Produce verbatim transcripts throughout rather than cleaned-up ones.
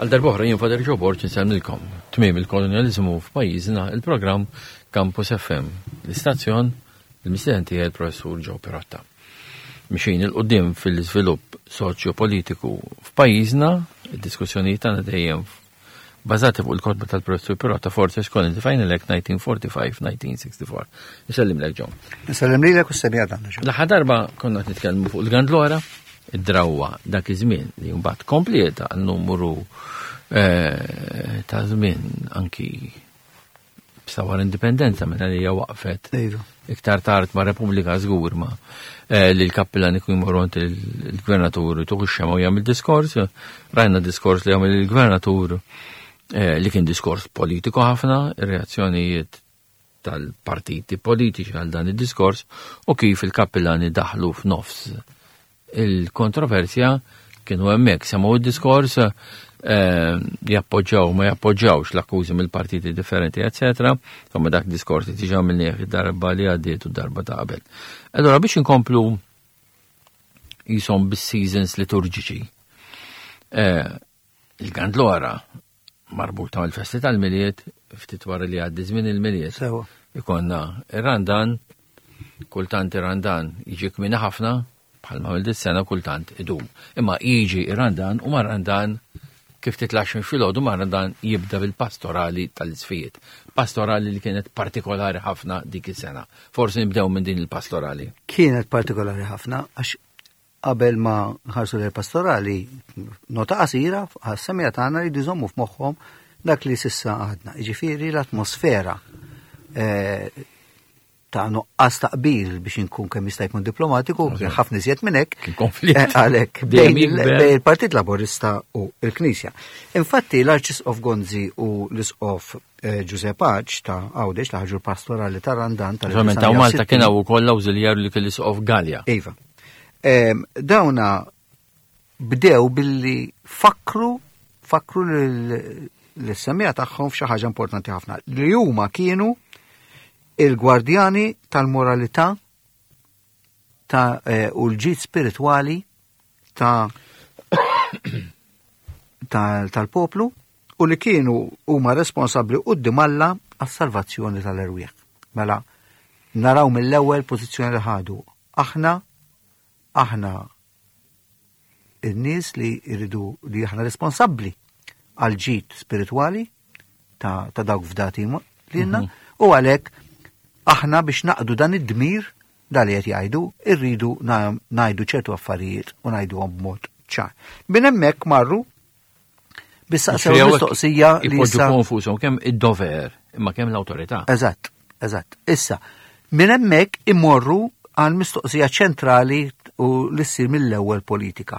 Għal darb'oħra jien Father Joe Borg insellmilkom. Tmiem il-kolonializmu f'pajjiżna, il-programm Campus F M. L-istazzjon, il-mistieden tiegħi il-professur Joe Pirotta. Mixin 'il quddiem fil-iżvilupp soċjo-politiku f'pajjiżna, id-diskussjonijiet tagħna dejjem bażati fuq il-kotba tal-professur Pirotta, Forces Colony, the Final Act nineteen forty-five nineteen sixty-four. Nsellimlek, Joe. Nsellem lilek u s-semmiegħa tagħna, Joe. L-aħħar darba konna qed nitkellmu fuq il-Gandlora, id-drawwa dak iż-żmien li mbagħad komplieta għal numru eh, ta' żmien anki sa wara indipendenza minn li hija waqfet Iva. iktar tard ma' Repubblika żgur ma eh, li l-kappillan ikun jmorru għand il-gvernatur tuħu xema u jagħmel diskors, rajna diskors li jagħmel il-gvernatur eh, li kien diskors politiku ħafna, ir-reazzjonijiet tal-partiti politiċi għal dan id-diskors u kif il-kappillani daħlu f'nofs il-kontroversja, kienu hemmhekk semgħu id-diskors, eh, jappoġġaw ma jappoġġawx l-akkużi mill-partiti differenti, eccetera. Insomma, dak diskors li diġà għamilnieh id-darba li għaddiet u darba ta' qabel. Allora biex inkomplu jisom bis-seasons liturġiċi. Eh, il-Gandlora marbuta mal-festi tal-Milied, ftit wara li għaddi żmien il-Milied. Sewa. Ikonna ir-Randan, kultant ir-Randan jiġi kmieni ħafna, bħalma mill sena, kultant idum. Imma jiġi ir-Randan u mar-Randan, kif titlax minn filgħodu mar-Randan jibda bil-pastorali tal-isqfijiet. Pastorali li kienet partikolari ħafna dik is-sena. Forsi nibdew minn din il-pastorali. Kienet partikolari ħafna għax qabel ma nħarsu l pastorali, nota qasira għas-semmiegħa tagħna li jżommu f'moħħhom dak li s'issa għadna. Jiġifieri l-atmosfera eh, ta' nuqqas ta' qbil, biex inkun kemm jista' jkun diplomatiku, kien ħafna iżjed minn hekk. Kien konflitt. Eh, Għalhekk Dejjem bejn il- jikber. bejn il-Partit Laburista u l-Knisja. Infatti l-Arċisqof Gonzi u l-Isqof eh, Giuseppe Pace ta' Għawdex li ħarġu l-pastorali ta' Randan tal Naturalment ta' Malta kien hawn ukoll l-awżiljarju li kien l-Isqof Galea. Iva. Em, Dawna bdew billi fakru fakru l-semmiegħa tagħhom f'xi ħaġa importanti ħafna, li huma kienu il-gwardjani tal-moralità ta' eh, u l-ġid spiritwali ta' ta- tal-poplu u li kienu huma responsabbli quddiem Alla għas-salvazzjoni tal-erwieħ. Mela naraw mill-ewwel pożizzjoni li ħadu. Aħna aħna in-nies li jridu li aħna responsabbli għal ġid spiritwali ta', ta' dawk fdati lilna u għalhekk aħna biex naqdu dan id-dmir dal li qed jgħidu irridu na- ngħidu ċertu affarijiet u ngħiduhom b'mod ċar. Minn hemmhekk marru biex saqsew mistoqsija li Ipoġġu issa konfużhom kemm id-dover imma kemm l-awtorità. Eżatt, eżatt. Issa, minn hemmhekk imorru għal mistoqsija ċentrali u li ssir mill-ewwel politika.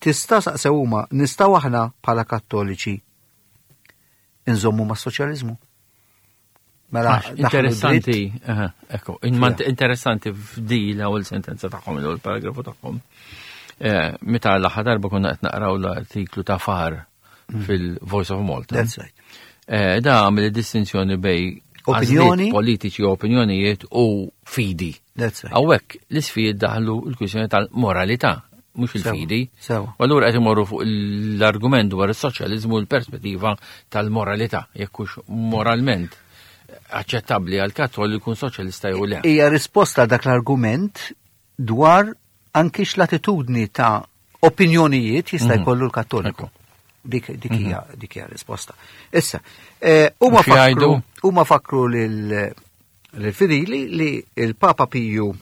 Tista' saqsew huma, nistgħu aħna bħala Kattoliċi inżommu ma' soċjaliżmu? Mela, Għax, daħlu interessanti, dritt- aha, ekku, imma Fija. interessanti f'di l-ewwel sentenza tagħhom, l-ewwel paragrafu tagħhom. Eh, Meta l-aħħar darba konna qed naqraw l-artiklu ta' Far fil-Voice of Malta. That's right. Eh, Da għamel distinzjoni bejn Opinjoni. għażliet politiċi u opinjonijiet u fidi. That's right. Hawnhekk l-isqfijiet daħlu l-kwistjoni tal-moralità, mhux Sewa, il-fidi. sewa. U allura qed imorru fuq l-argument dwar is-soċjaliżmu u l-perspettiva tal-moralità, jekk hux moralment aċċettabbli għal Kattoliku jkun soċjalista jew le. Hija risposta dak l-argument dwar anki x'latitudni ta' opinjonijiet jista' Mhm. jkollu l-Kattoliku. Ekku. Dik dik hija dik hija risposta. Issa, eh, huma U xi jgħidu? fakru huma fakru lil lil-fidili li il-Papa Piju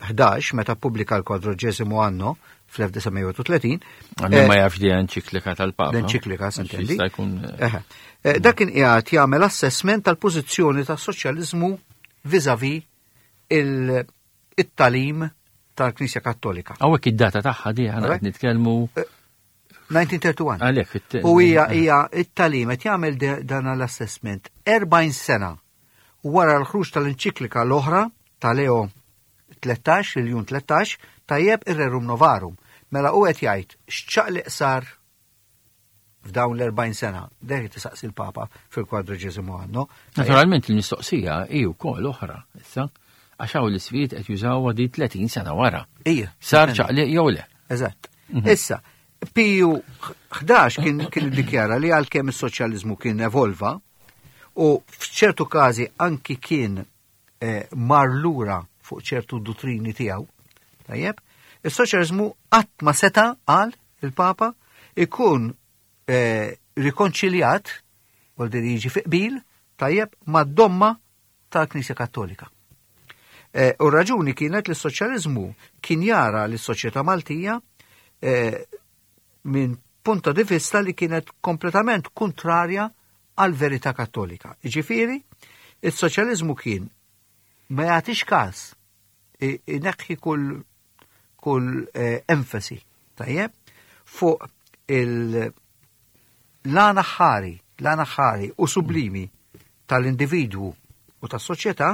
ħdax meta ppubblika l-Quadragesimo Anno fl-elf disa' mija u tletin. Għal ma jafx di enċiklika tal-Papa. L-enċiklika, s'intendi. Jista' jkun Eħe. Eh, Dak kien qiegħed jagħmel assessment tal-pożizzjoni tas-soċjaliżmu vis-à-vis il- it-tagħlim tal-Knisja Kattolika. Hawnhekk id-data tagħha di aħna qed nitkellmu elf disa' mija u wieħed u tletin. Għalhekk fit- U hija hija it-tagħlim qed jagħmel de- dan l-assessment erbgħin sena wara l-ħruġ tal-enċiklika l-oħra ta' Leo tlettax, il-Ljun tlettax, tajjeb, ir-Rerum Novarum. Mela u qed jgħid x'ċaqliq sar f'dawn l-erbgħin sena. Dak tisaqsi l-Papa fil-Quadragesimo Anno. Naturalment il-mistoqsija hi wkoll oħra, issa, għax hawn l-isqfijiet qed jużawha di tletin sena wara. Ija. Sar ċaqliq jew le? Eżatt. Issa, Piju ħdax kien kien iddikjara li għalkemm is-soċjaliżmu kien evolva u f'ċertu każi anki kien eh, mar lura fuq ċertu dottrini tiegħu, tajjeb, is-soċjaliżmu qatt ma seta' qal il-Papa ikun eh, rikonċiljat, vuol dire jiġi fi qbil, tajjeb, mad-domma tal-Knisja Kattolika. Eh, U raġuni kienet li s-soċjaliżmu kien jara li s-soċjetà Maltija eh, minn punto di vista li kienet kompletament kontrarja għal verità kattolika. Ġifieri, il-soċjaliżmu kien ma jagħtix każ i- ineħħi kull kull eh, enfasi, tajjeb, fuq il l-għan aħħari, l-għan aħħari u sublimi tal-individwu u tas-soċjetà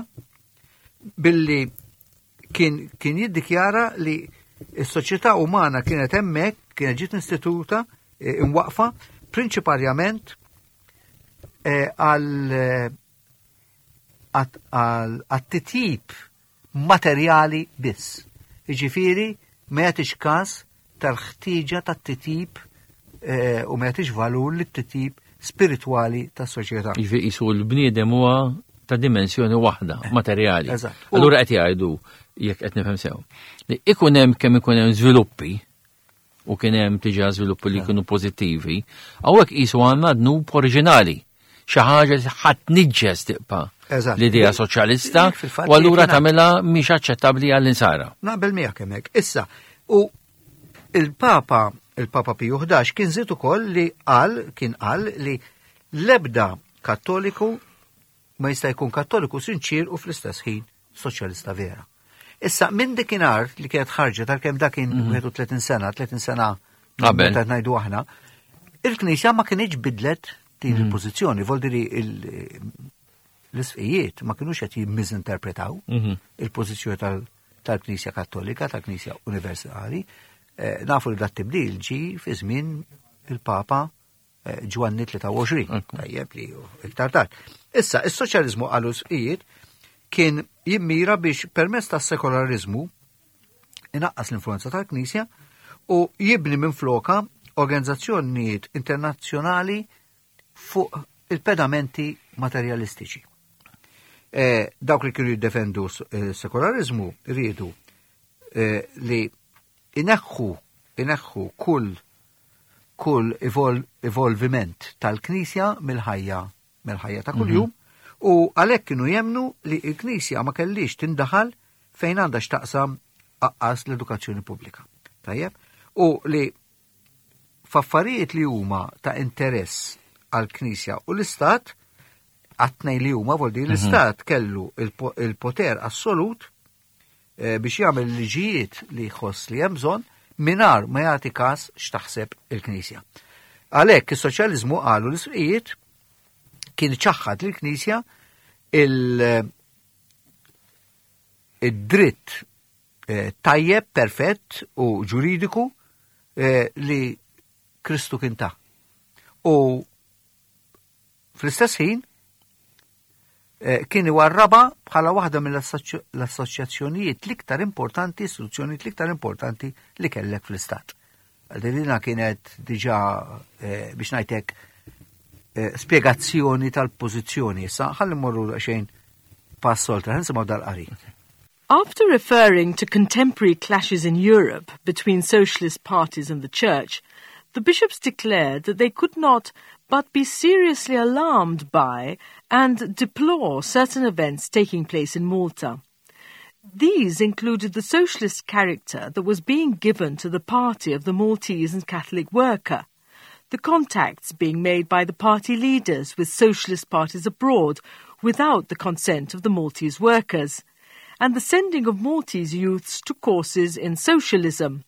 billi kien, kien jiddikjara li s-soċjetà umana kienet hemmhekk, kienet ġiet istituta eh, imwaqfa prinċiparjament eh, għal eh, għat- għal għat-titjib materjali biss. Jiġifieri ma jagħtix każ tal-ħtieġa tat-titjib eh, u ma jagħtix valur lit-titjib spiritwali tas-soċjetà. Jiġifieri qisu l-bniedem huwa ta' dimensjoni waħda, materjali. Eżatt. U- Allura qed jgħidu jekk qed nifhem sew. Li ikun hemm kemm ikun hemm żviluppi u kien hemm diġà żviluppi li jkunu pożittivi, hawnhekk qisu għandna dnub oriġinali. Xi ħaġa li ħadd niġġes tibqa' Eżatt. l-idea soċjalista Fil-fatt u allura jekk tagħmilha mhix aċċettabbli għall-insara. Naqbel miegħek hemmhekk. Issa, u il-Papa, il-Papa Piju ħdax kien żied ukoll li qal, kien qal li l-ebda Kattoliku ma jista' jkun Kattoliku sinċir u fl-istess ħin soċjalista vera. Issa, minn dikinhar li kienet ħarġet għalkemm dak kien wieħed u tletin sena, tletin sena Qabel. meta ngħidu aħna, il-Knisja ma kienx bidlet din il-pożizzjoni, vuol dire il- l-isqfijiet ma kienux qed jimmiżinterpretaw Mhm. il-pożizzjoni tal- tal-Knisja Kattolika, tal-Knisja Universali. Eh, nafu li dat tibdil ġi fi żmien il-Papa eh, Ġwanni tlieta u għoxrin, Ekku. tajjeb li hu iktar tard. Issa, is-soċjaliżmu qalu isqfijiet kien jimmira biex permezz tas-sekolarizmu inaqqas l-influenza tal-Knisja u jibni minn floka organizzazzjonijiet internazzjonali fuq il-pedamenti materialistiċi. Eh, dawk li kienu jiddefendu s- eh, sekolarizmu riedu eh, li ineħħu ineħħu kull kull evol, evolviment tal-Knisja mill-ħajja mill-ħajja ta' kuljum u għalhekk kienu jemnu li l-Knisja ma kellix tindaħal fejn għandha x'taqsam aqqas l-edukazzjoni pubblika. Tajjeb? U li f'affarijiet li huma ta' interess għal-Knisja u l-Istat, għat-tnejn li huma vuol dire l-Istat kellu il-po- il-poter assolut eh, biex jagħmel liġijiet li jħoss li hemm bżonn mingħajr ma jagħti każ x'taħseb il-Knisja. Għalhekk is-soċjaliżmu qalu l-isqfijiet kien ċaħħad lill-Knisja il- id-dritt eh, tajjeb, perfett u ġuridiku eh, li Kristu kien ta. U fl-istess ħin eh, kien iwarraba bħala waħda mill-assoċjazzjonijiet l-iktar importanti, istituzzjonijiet l-iktar importanti li kellek fl-istat. Għal kienet diġà eh, biex ngħidlek eh, spiegazzjoni tal-pożizzjoni. Issa ħalli mmorru xejn pass oltre, ħa nisimgħu dal-qari. After referring to contemporary clashes in Europe between socialist parties and the church, the bishops declared that they could not but be seriously alarmed by and deplore certain events taking place in Malta. These included the socialist character that was being given to the party of the Maltese and Catholic Worker, the contacts being made by the party leaders with socialist parties abroad without the consent of the Maltese workers, and the sending of Maltese youths to courses in socialism.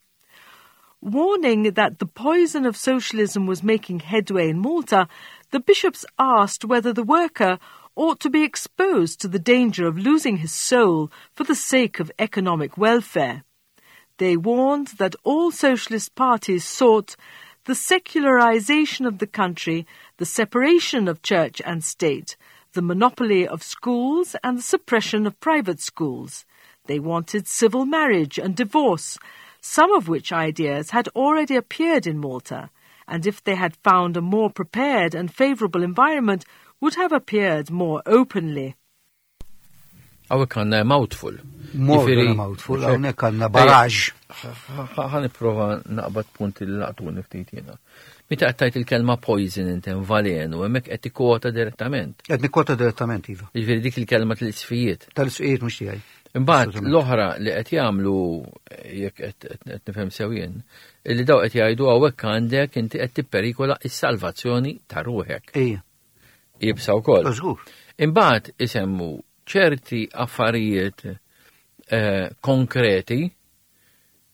Warning that the poison of socialism was making headway in Malta, the bishops asked whether the worker ought to be exposed to the danger of losing his soul for the sake of economic welfare. They warned that all socialist parties sought the secularization of the country, the separation of church and state, the monopoly of schools and the suppression of private schools. They wanted civil marriage and divorce, some of which ideas had already appeared in Malta, and if they had found a more prepared and favourable environment, would have appeared more openly. Hawnhekk għandna mouthful. More than a mouthful, hawnhekk għandna barrage. Ħa nipprova naqbad punti li laqtuni ftit jiena. Meta qed tgħid il-kelma poison inti valenu, hemmhekk qed tikkwota direttament. Qed nikkwota direttament, iva. Jiġifieri dik il-kelma tal-isqfijiet. Tal-isqfijiet mhux tiegħi. Imbagħad l-oħra li qed jagħmlu jekk qed nifhem sew jien, li daw qed jgħidu hawnhekk għandek inti qed tipperikola s-salvazzjoni ta' ruħek. Ija. Iebsa wkoll. Żgur. Imbagħad isemmu ċerti affarijiet eh, konkreti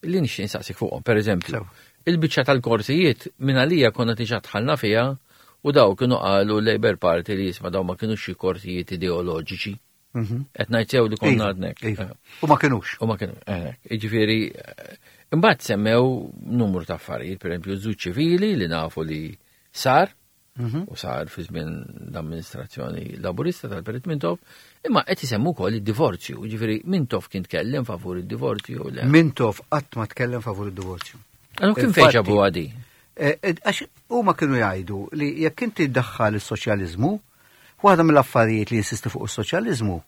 li nixtieq insaqsik fuqhom. Per eżempju, il-biċċa tal-korsijiet minn għalija konna diġà dħalna fiha u daw kienu qalu Labour Party li jisma' daw ma kienux xi korsijiet ideoloġiċi. Mhm. Qed ngħid sew li konna Iva, għadnek. iva. U ma kienux. U ma kienu, jiġifieri, imbagħad semmew numru ta' affarijiet, per eżempju, żwieġ ċivili li nafu li sar, Mhm. u sar fi żmien l-amministrazzjoni laburista tal-Perit Mintoff, imma qed isemmu wkoll id-divorzju, jiġifieri Mintoff kien tkellem favur id-divorzju le. Mintoff qatt ma tkellem favur id-divorzju. Allora kien fejn ġabu għadi? Eh, eh, għax huma kienu jgħidu li jekk inti ddaħħal is-soċjaliżmu, waħda mill-affarijiet li jinsisti fuq is-soċjaliżmu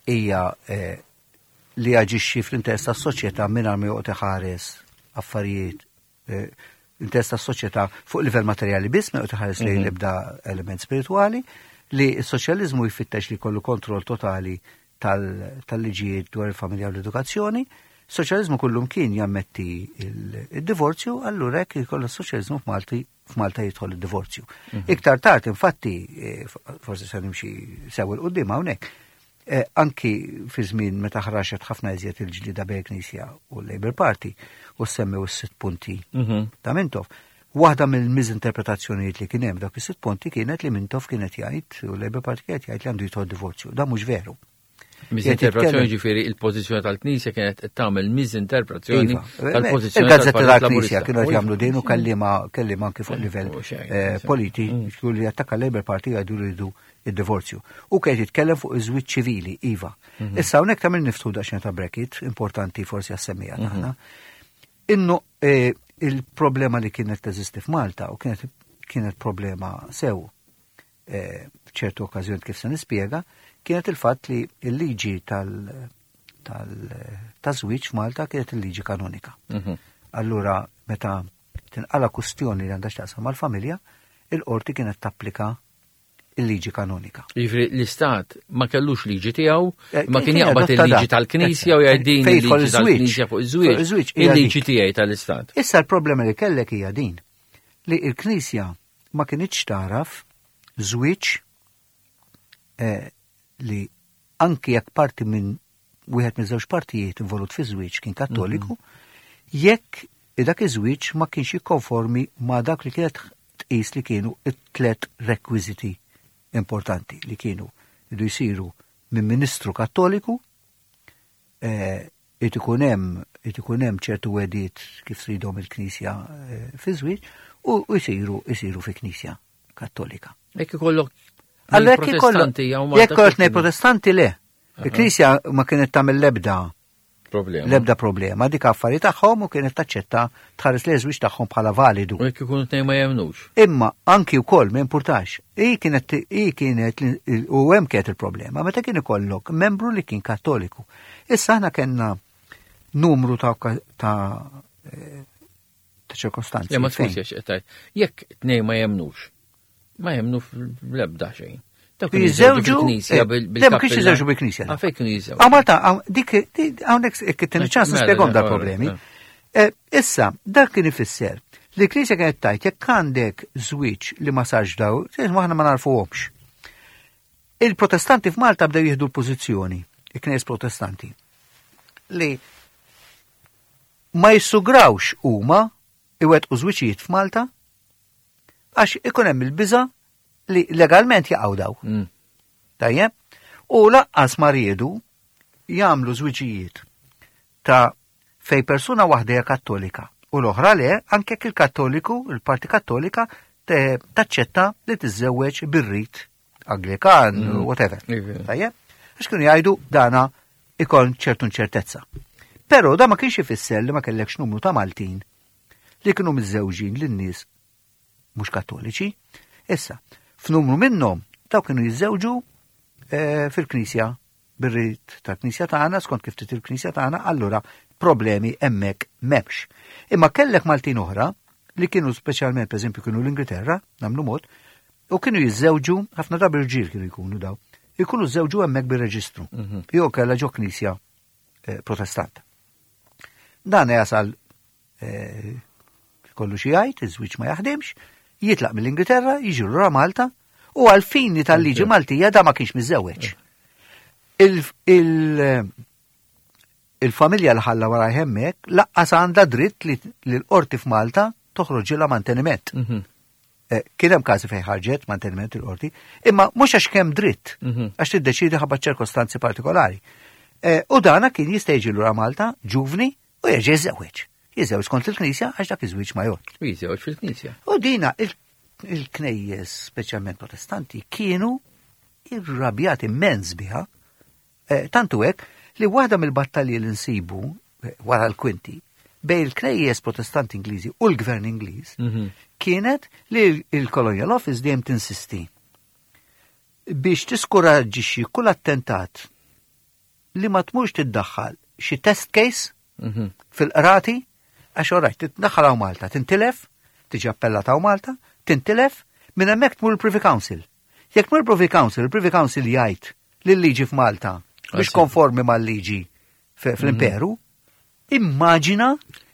hija eh, li jaġixxi fl-interess tas-soċjetà mingħajr ma joqgħod iħares affarijiet interess tas-soċjetà fuq livell materjali biss, ma joqgħod iħares lejn Mhm. l-ebda element spirituali, li s-soċjaliżmu jfittex li jkollu kontroll totali tal-liġijiet dwar il-familja u l-edukazzjoni. Soċjaliżmu kullum kien jammetti il-divorzju, allura hekk jkollha s-soċjaliżmu f'Malti f'Malta jidħol id-divorzju. Mhm. Iktar tard, infatti, eh, forsi se nimxi sew 'il quddiem hawnhekk, eh, anki fi żmien meta ħraxet ħafna iżjed il-ġlida bejn Knisja u l-Labour Party u semmew is-sitt punti Mhm. ta' Mintoff. Waħda mill-miżinterpretazzjonijiet li kien hemm dak is-sitt punti kienet li Mintoff kienet jgħid u l-Labour Party kienet jgħid li għandu jidħol divorzju. Da mhux veru. Miżinterpretazzjoni ġifieri il-pożizzjoni tal-Knisja kienet qed tagħmel miżinterpretazzjoni Iva. tal-pożizzjoni Il-gazzetti tal-Partit tal-Knisja Laburista. kienu qed jagħmlu din u kellima kellima anki fuq livell u xejn, eh, sì. politiku li attakka l-Labour Party jgħidu li jridu id-divorzju. U kien jitkellem fuq iż-żwieġ ċivili, iva. Issa hawnhekk tagħmel niftħu daqsxejn ta' bracket, importanti forsi għas-semmija tagħna. Innu eh, il-problema li kienet teżisti f'Malta u kienet kienet problema sew eh, f'ċertu okkażjoni kif se nispjega, kienet il-fatt li il-liġi tal tal taż-żwieġ f'Malta kienet il-liġi kanonika. Mhm. Allura meta tinqala kustjoni li għandha x'taqsam mal-familja, il-qorti kienet tapplika il-liġi kanonika. Jiġifieri l-Istat ma kellux liġi tiegħu, Eh, ma kien kien jaqbad adotta il-liġi da. tal-Knisja u jgħid din Fejn jidħol il-liġi iż-żwieġ. tal-Knisja fuq iż-żwieġ. Fuq iż-żwieġ, hija Il-liġi dik. tiegħi tal-Istat. Issa l-problema li kellek hija din li il-Knisja ma kinitx taraf żwieġ eh, li anki jekk parti minn wieħed minn żewġ partijiet involut fi żwieġ kien kattoliku, jekk dak iż-żwieġ ma kienx jikkonformi ma dak li kienet tqis li kienu it-tlet rekwiżiti importanti li kienu jridu jsiru minn ministru kattoliku, eh, irid ikun hemm irid ikun hemm ċertu wegħdiet kif tridhom il-Knisja eh, fi żwieġ u u jsiru jsiru fi Knisja Kattolika. Jekk ikollok Allora jekk ikollok protestanti jew Malta jekk ikollok kif kienu? protestanti le. Il-Knisja ma kienet tagħmel l-ebda problema. l-ebda problema, dik affari tagħhom u kienet taċċetta tħares li żwieġ tagħhom bħala validu. U jekk ikunu tnejn ma jemnux. Imma anki wkoll ma importax. I kienet i kienet u hemm kienet il-problema meta kien ikollok membru li kien kattoliku. Issa aħna kellna numru ta' ta' eh, ta' ċirkostanzi. Le ma fejn- skużi għax qed tgħid. Jekk tnejn ma jemnux, ma jemnu fl-ebda xejn. Dawk kienu Jiżżewġu fil-Knisja eh, bil- Le, ma kienx bil-kappella. jiżżewġu bil-Knisja. Ah, fejn kienu jiżżewġu? Ah, Malta, hawn- dik di- hawnhekk kien ċans Mela, nispjegahom mela, dal-problemi. mela. Eh, Issa, dak kien ifisser li l-Knisja kienet tajt jekk għandek żwieġ li ma sarx daw, aħna ma narfuhomx. Il-Protestanti f'Malta bdew jieħdu l-pożizzjoni, il-Knisja Protestanti, li ma jissugrawx huma iwettqu żwiġijiet f'Malta għax ikun hemm il-biża li legalment jaqgħu daw. Mm. Tajjeb? U laqqas ma riedu jagħmlu żwiġijiet ta' fej persuna waħda hija kattolika u l-oħra le anke jekk il-kattoliku, il-parti kattolika te- taċċetta li tiżżewweġ bir-rit Anglikan, Mm. whatever. Iva. Tajjeb? Għax kienu jgħidu dana ikon ċertu inċertezza. Però da ma kienx ifisser li ma kellekx numru ta' Maltin li kienu miżżewġin lin-nies mhux Kattoliċi. Issa, f'numru minnhom daw kienu jiżżewġu eh, fil-Knisja, bir-rit tal-Knisja tagħna, skont kif trid il-Knisja tagħna, allura problemi hemmhekk m'hemmx. Imma kellek Maltin oħra li kienu speċjalment, pereżempju, kienu l-Ingilterra, nagħmlu mod, u kienu jiżżewġu, ħafna drabi rġiel kienu jkunu daw, jkunu żewġu hemmhekk bir-reġistru. Jew kellha ġo knisja eh, Protestant. Dan jasal eh, kollu xi jgħid, iż-żwieġ ma jaħdimx, jitlaq mill-Ingilterra, jiġi lura Malta, u għal-fini tal-liġi Maltija da ma kienx miżżewweġ. Il- il- Il-familja li ħalla wara hemmhekk lanqas għandha dritt li li l-qorti f'Malta toħroġilha manteniment. Eh, Kien hemm każi fejn ħarġet manteniment il-qorti, imma mhux għax kemm dritt, għax tiddeċidi ħabba ċirkostanzi partikolari. Eh, U dana kien jista' jiġi lura Malta ġuvni u jerġa' jiżżewweġ. Jiżżewweġ kont il-Knisja għax dak iż-żwieġ ma jgħod. U jiżżewweġ fil-Knisja. U dina il- il-knejjes, speċjalment Protestanti, kienu irrabjati immens biha. Eh, Tantu hekk li waħda mill-battalji li nsibu eh, wara l-kwinti bejn il-knejjes Protestanti Ingliżi u l-Gvern Ingliż kienet li il-Colonial Office dejjem tinsisti biex tiskoraġġixxi kull attentat li ma tmurx tiddaħħal xi test case fil-qrati, għax orajt, titdaħħal hawn Malta, tintilef, tiġi appellata hawn Malta, tintilef, minn hemmhekk tmur il-Privy Council. Jekk tmur il-Privy Council, il-Privy Council jgħid li l-liġi f'Malta biex Għasib. konformi mal-liġi f- fl-imperu, immaġina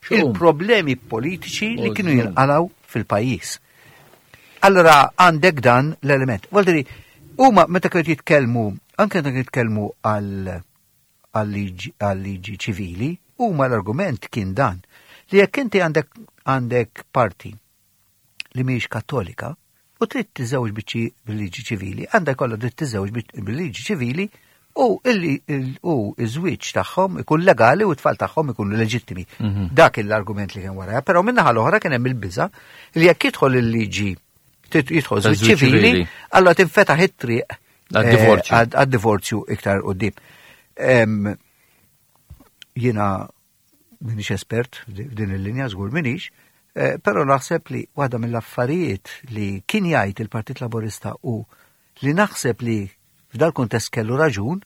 Xum. il-problemi politiċi li kienu Oh, jinqalaw fil-pajjiż. Allora għandek dan l-element. Vuol huma meta kienu jitkellmu, anke meta kienu jitkellmu għal għal-liġi għal-liġi ċivili, huma l-argument kien dan li jekk inti għandek għandek parti li mhijiex Kattolika u trid tiżewġ biċċi bil-liġi ċivili, għandek kollha dritt tiżewġ bil-liġi ċivili u illi il- u iż-żwieġ tagħhom ikun legali u t-tfal tagħhom ikunu leġittimi. Dak l-argument li kien wara, però min-naħa l-oħra kien hemm il-biża li jekk jidħol il-liġi tit- jidħol żwieġ Taż-żwieġ ċivili, ċivili. allora tinfetaħ it-triq Għad-divorzju. eh, għad- għad-divorzju iktar qudiem. Em, Jiena minix espert f'din il-linja, żgur minix, eh, però naħseb li waħda mill-affarijiet li kien jgħid il-Partit Laborista u li naħseb li f'dal kuntest kellu raġun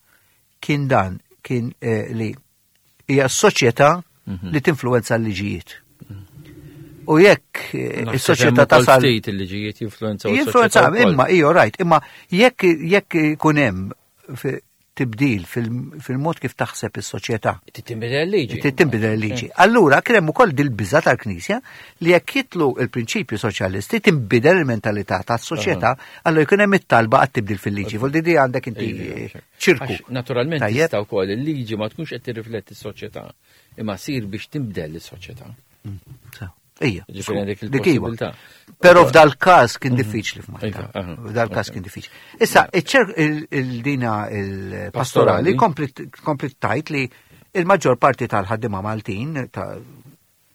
kien dan kien eh, li hija s-soċjetà li tinfluwenza l-liġijiet. U jekk eh, is-soċjetà tasal ftit il-liġijiet jinfluenzaw Jinfluenza, is-soċjetà wkoll. imma, ijo, right, imma jekk jekk ikun hemm fi- tibdil fil- fil-mod kif taħseb is-soċjetà, Tinbidel il-liġi. tinbidel il-liġi. Allura kien hemm ukoll dil-biża tal-Knisja li jekk jitlu il-prinċipju soċjalisti tinbidel il-mentalità tas-soċjetà, allura jkun hemm it-talba għat-tibdil fil-liġi. Vuol dire għandek inti ċirku. Għax Naturalment Tajjeb. tista' wkoll il-liġi ma tkunx qed tirrifletti s-soċjetà, imma sir biex tinbidel is-soċjetà. Sew. Ija. Ġifieri għandek Dik iwa. il-possibilità. Però f'dal każ kien diffiċli f'Malta. Iva, aha. F'dal każ kien diffiċli. Issa, iċ-ċer- il- il-dina il-pastorali Pastorali. komplit komplit tajt li il-maġġor parti tal-ħaddima Maltin, ta-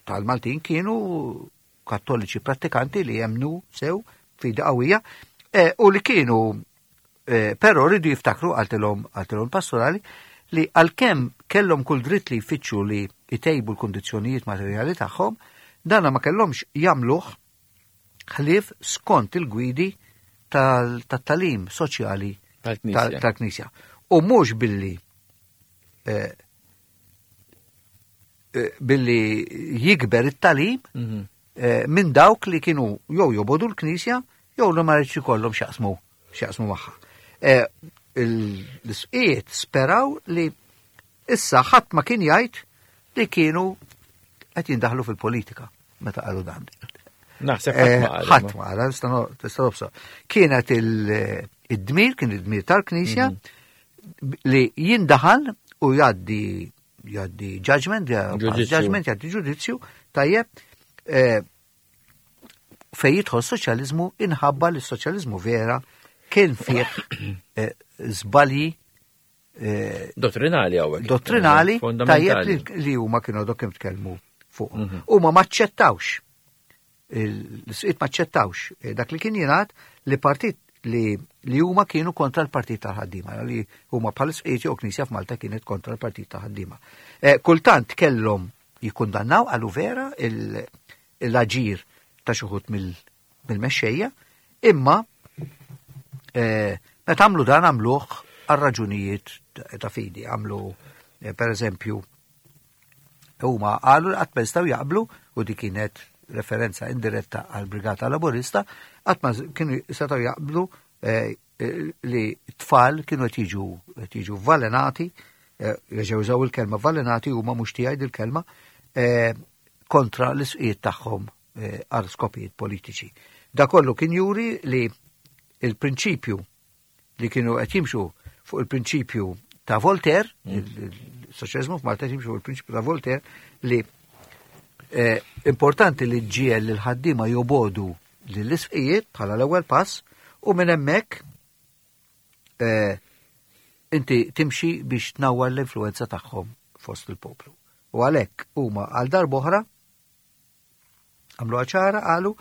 tal-Maltin kienu Kattoliċi prattikanti li jemnu sew fidi qawwija eh, u li kienu eh, però rridu jiftakru għaltilhom għaltilhom pastorali li għalkemm kellhom kull dritt li jfittxu li jtejbu l-kondizzjonijiet materjali tagħhom, dana ma kellhomx jagħmluh ħlief skont il-gwidi tal-talim soċjali Tal-Knisja. tal- tal-Knisja. U mhux billi eh, eh, billi jikber it-talim Mhm. eh, minn dawk li kienu jew jobodu l-Knisja jew li ma rridx ikollhom x'jaqsmu x'jaqsmu magħha. Eh, il- L-isqiet speraw li issa ħadd ma kien jgħid li kienu qed jindaħlu fil-politika meta qalu dan. Naħseb Eh, ħadd ma qal, ħadd ma qal, nista' no- tista' nobsor. Kienet il- id-dmir, kien id-dmir tal-Knisja li jindaħal u jgħaddi jgħaddi judgment, Ġudizzju. judgment, jgħaddi ġudizzju, tajjeb, eh, fej jidħol soċjaliżmu inħabba li s-soċjaliżmu vera kien fih eh, żbalji eh, Dottrinali hawnhekk. dottrinali tajjeb Fondamentali. li, li huma kienu dok kemm tkellmu fuq. Huma maċċettawx l-isqiet maċċettawx eh, dak li kien jingħad li partit li li huma kienu kontra l-partit tal-ħaddiema, li huma bħal isqiet jew knisja f'Malta kienet kontra l-partit tal-ħaddiema. Eh, kultant kellhom jikkundannaw għalu vera l-aġir ta' xi wħud mill-mexxejja, imma eh, meta għamlu dan għamluh għal raġunijiet ta' fidi, għamlu eh, per eżempju huma qalu li qatt ma jistgħu jaqblu, u di kienet referenza indiretta għal Brigata Laburista, qatt ma kienu setgħu jaqblu eh, li tfal kienu qed jiġu qed jiġu valenati, reġgħu użaw il-kelma valenati huma mhux tiegħi dil-kelma, kontra l-isqijiet tagħhom għal skopijiet politiċi. Da kollu kien juri li il-prinċipju li kienu qed jimxu fuq il-prinċipju ta' Voltaire, il-soċjaliżmu f'Malta jimxu fuq il-prinċipju ta' Voltaire, li importanti li ġiel l-ħaddiema jobodu lill-isqijiet bħala l-ewwel pass, u minn hemmhekk inti timxi biex tnawwar l-influenza tagħhom fost il-poplu. U għalhekk huma għal darb'oħra għamlu ċara, qalu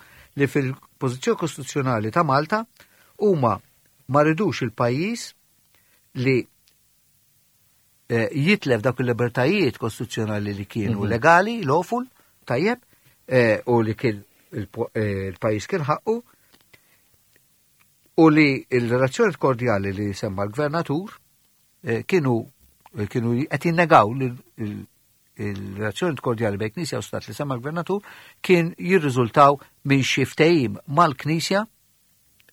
li fil-pożizzjoni kostituzzjonali ta' Malta huma ma ridux il-pajjiż li jitlef dawk il-libertajiet kostituzzjonali li kienu legali, lawful, tajjeb, u li kien il-pajjiż kien ħaqqu, u li il-relazzjoni kordjali li semma l-gvernatur kienu kienu qed jinnegaw li il-relazzjoni kordjali bejn Knisja u Stat li semma l-gvernatur kien jirriżultaw minn xi ftehim mal-Knisja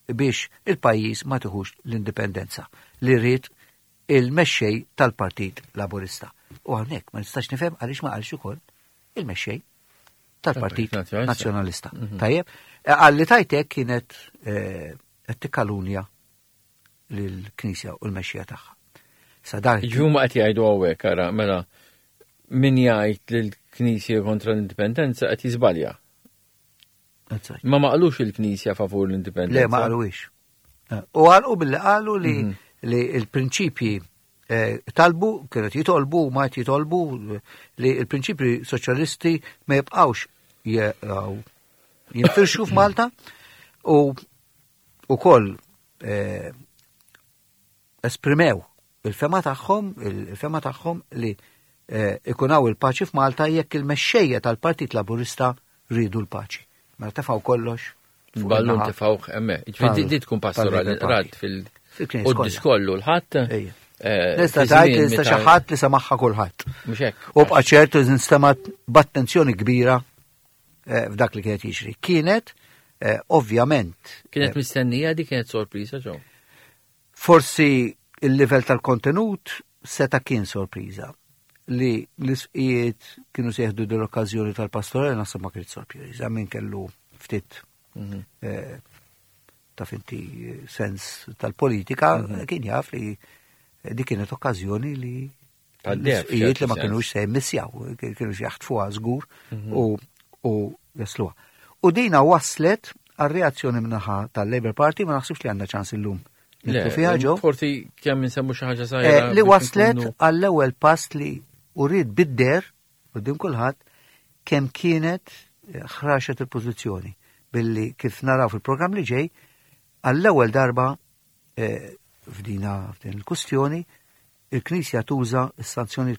biex il-pajjiż ma tiħux l-indipendenza li rrid il-mexxej tal-Partit Laburista. U hawnhekk ma nistax nifhem għaliex ma qalx ukoll il-mexxej tal-Partit Nazzjonalista. Tajjeb, għalli tajtek kienet qed tikkalunja lill-Knisja u l-mexxija tagħha. Ġhuma qed jgħidu hawnhekk, ara, mela min jgħid li l-Knisja kontra l-indipendenza qed jiżbalja. Ma ma qalux il-Knisja favur l-indipendenza. Le, ma qalux. U għalqu billi qalu li li l-prinċipji talbu, kienet jitolbu, ma jitolbu li l-prinċipji soċjalisti ma jibqgħux jinfirxu f'Malta, u ukoll esprimew il-fema tagħhom, il-fema tagħhom li ikunaw il-paċi f'Malta jekk il-mexxejja tal-Partit Laburista rridu l-paċi. Mela tefgħu kollox. Ballun tefgħu hemmhekk. Ġifieri di tkun pastorali rat fil- Quddis kollu l-ħadd. Nista' tgħid li nista' xi ħadd li semaħħa kulħadd. Mhux hekk. U bqa' ċertu li nstemat b'attenzjoni kbira f'dak li kienet jiġri. Kienet ovvjament. Kienet mistennija, di kienet sorpriża ġew. Forsi il-livell tal-kontenut seta' kien sorpriża. Li l-isqijiet kienu se jieħdu l-okkażjoni tal-pastorali naħseb ma kienet sorpriża, min kellu ftit ta' finti sens tal-politika kien jaf li di kienet okkażjoni li l-isqijiet li ma kienux se jmissjaw, kienu jaħtfuha żgur u jasluha. U dina waslet għal reazzjoni minnaħa tal-Labour Party, ma naħsibx li għandna ċans illum. Le, forsi kemm insemmu xi ħaġa żgħira. Li waslet għall-ewwel pass li urid bidder quddiem kulħadd kemm kienet ħraxet il-pożizzjoni billi kif naraw fil-programm li ġej għall-ewwel darba f'dina f'din il-kustjoni il-Knisja tuża s-sanzjoni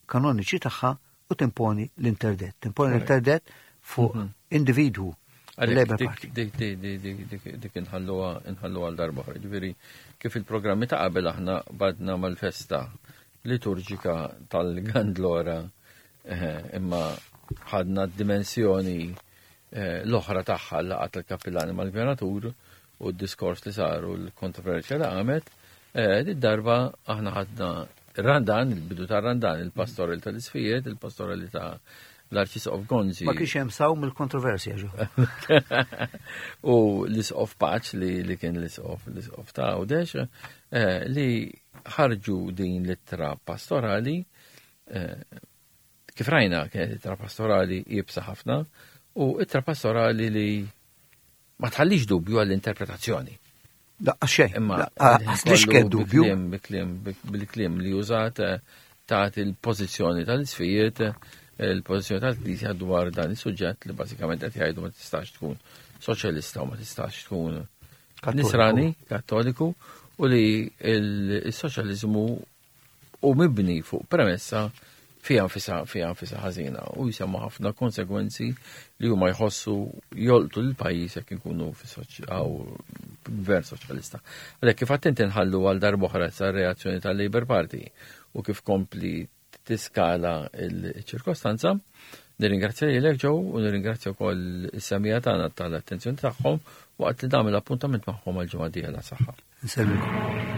kanoniċi tagħha u timponi l-interdett. Timponi l-interdett fuq individwu. Dik dik inħalluha inħalluha għal darba oħra. Ġifieri kif il-programmi ta' qabel aħna badna mal-festa liturġika tal-Gandlora, imma ħadna d-dimensjoni l-oħra tagħha laqgħa tal-kappillani mal-gvernatur u d-diskors li saru l-kontroversja li qamet, id-darba aħna ħadna Randan, il-bidu ta' Randan, il-pastorali tal-Isfijiet, il-pastorali ta' l-Arċisqof Gonzi. Ma kienx hemm saw mill-kontroversja ġo. U l-Isqof Paċ li, li kien l-Isqof, l-Isqof ta' Għawdex, eh, li ħarġu din l-ittra pastorali, eh, kif rajna kienet ittra pastorali iebsa ħafna, u ittra pastorali li ma tħallix dubju għall-interpretazzjoni. Laqqa xejn. Imma għaslix kien dubju. Bil-kliem li użat tagħti il-pożizzjoni tal-Isfijiet, il-pożizzjoni tal-Knisja dwar dan is-suġġett li bażikament qed jgħidu ma tistax tkun soċjalista u ma tistax tkun nisrani, kattoliku, u li il-soċjaliżmu u mibni fuq premessa Fiha nfisha fiha nfisha ħażina u jsemma ħafna konsegwenzi li huma jħossu jolqtu l-pajjiż jekk inkunu fi gvern soċjalista. Għalhekk, kif attenti, nħallu għal darb'oħra sa reazzjoni tal-Labour Party u kif kompli tiskala il-ċirkostanza. Nirringrazzja lilek, Joe, u nirringrazzja wkoll is-semmiegħa tagħna tal-attenzjoni tagħhom waqt li nagħmel appuntament magħhom għal ġimgħa dieħla. Saħħa. Nsellmilkom.